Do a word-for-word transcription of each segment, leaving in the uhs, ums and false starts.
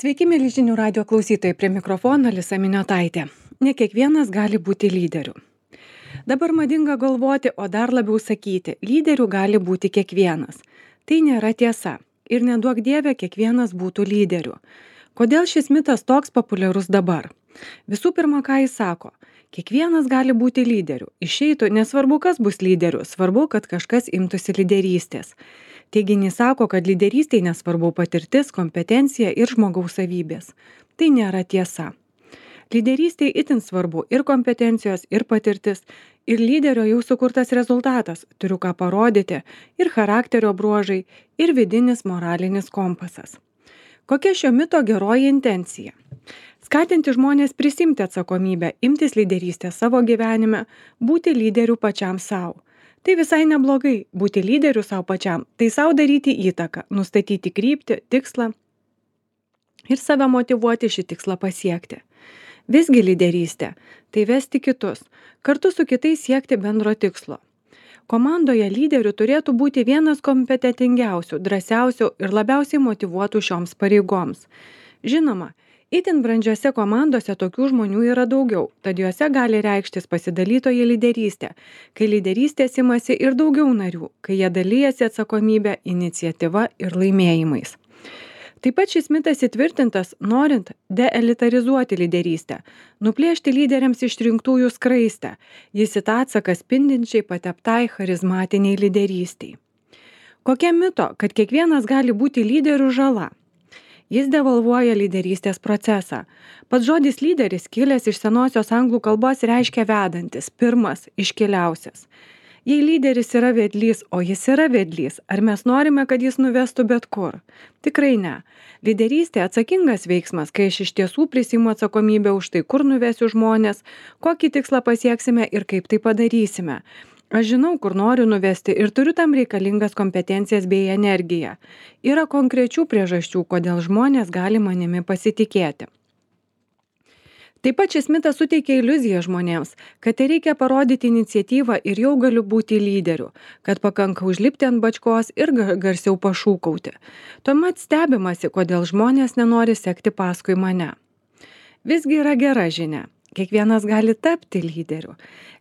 Sveiki, mėly žinių radio klausytojai, prie mikrofono Alisa Miniotaitė. Ne kiekvienas gali būti lyderiu. Dabar madinga galvoti, o dar labiau sakyti, lyderiu gali būti kiekvienas. Tai nėra tiesa. Ir neduok Dieve, kiekvienas būtų lyderiu. Kodėl šis mitas toks populiarus dabar? Visų pirma, ką jis sako? Kiekvienas gali būti lyderiu. Išeitų, nesvarbu, kas bus lyderiu, svarbu, kad kažkas imtųsi lyderystės. Teiginys sako, kad lyderystėje nesvarbu patirtis, kompetencija ir žmogaus savybės. Tai nėra tiesa. Lyderystėje itin svarbu ir kompetencijos, ir patirtis, ir lyderio jau sukurtas rezultatas, turiu ką parodyti, ir charakterio bruožai, ir vidinis moralinis kompasas. Kokia šio mito geroji intencija? Skatinti žmonės prisimti atsakomybę, imtis lyderystės savo gyvenime, būti lyderiu pačiam savo. Tai visai neblogai būti lyderiu savo pačiam, tai savo daryti įtaką, nustatyti kryptį, tikslą ir save motyvuoti šį tikslą pasiekti. Visgi lyderystė – tai vesti kitus, kartu su kitais siekti bendro tikslo. Komandoje lyderių turėtų būti vienas kompetentingiausių, drąsiausių ir labiausiai motyvuotų šioms pareigoms. Žinoma, itin brandžiose komandose tokių žmonių yra daugiau, tad juose gali reikštis pasidalytoji lyderystė, kai lyderystės imasi ir daugiau narių, kai jie dalyjasi atsakomybę, iniciatyva ir laimėjimais. Taip pat šis mitas įtvirtintas, norint deelitarizuoti lyderystę, nuplėšti lyderiams išrinktųjų skraistę, jis į tą atsaką spindinčiai pateptai charizmatiniai lyderystiai. Kokia mito, kad kiekvienas gali būti lyderių žala? Jis devalvuoja lyderystės procesą. Pats žodis lyderis, kilęs iš senosios anglų kalbos, reiškia vedantis, pirmas, iškiliausias. Jei lyderis yra vedlys, o jis yra vedlys, ar mes norime, kad jis nuvestų bet kur? Tikrai ne. Lyderystė atsakingas veiksmas, kai aš iš tiesų prisiimu atsakomybę už tai, kur nuvesiu žmonės, kokį tikslą pasieksime ir kaip tai padarysime. Aš žinau, kur noriu nuvesti ir turiu tam reikalingas kompetencijas bei energiją. Yra konkrečių priežasčių, kodėl žmonės gali manimi pasitikėti. Taip pat šis mitas suteikia iliuziją žmonėms, kad tai reikia parodyti iniciatyvą ir jau galiu būti lyderiu, kad pakanka užlipti ant bačkos ir garsiau pašūkauti. Tuomet stebimasi, kodėl žmonės nenori sekti paskui mane. Visgi yra gera žinia. Kiekvienas gali tapti lyderiu.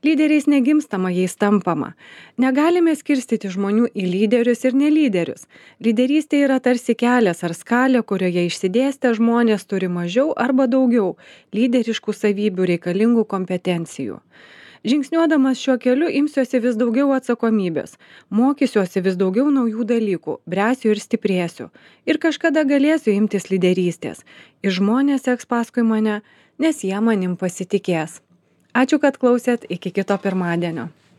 Lyderiais negimstama, jais tampama. Negalime skirstyti žmonių į lyderius ir nelyderius. Lyderystė yra tarsi kelias ar skalė, kurioje išsidėstę žmonės turi mažiau arba daugiau lyderiškų savybių reikalingų kompetencijų. Žingsniuodamas šiuo keliu imsiuosi vis daugiau atsakomybės, mokysiuosi vis daugiau naujų dalykų, bręsiu ir stiprėsiu. Ir kažkada galėsiu imtis lyderystės. Ir žmonės seks paskui mane, nes jie manim pasitikės. Ačiū, kad klausėt, iki kito pirmadienio.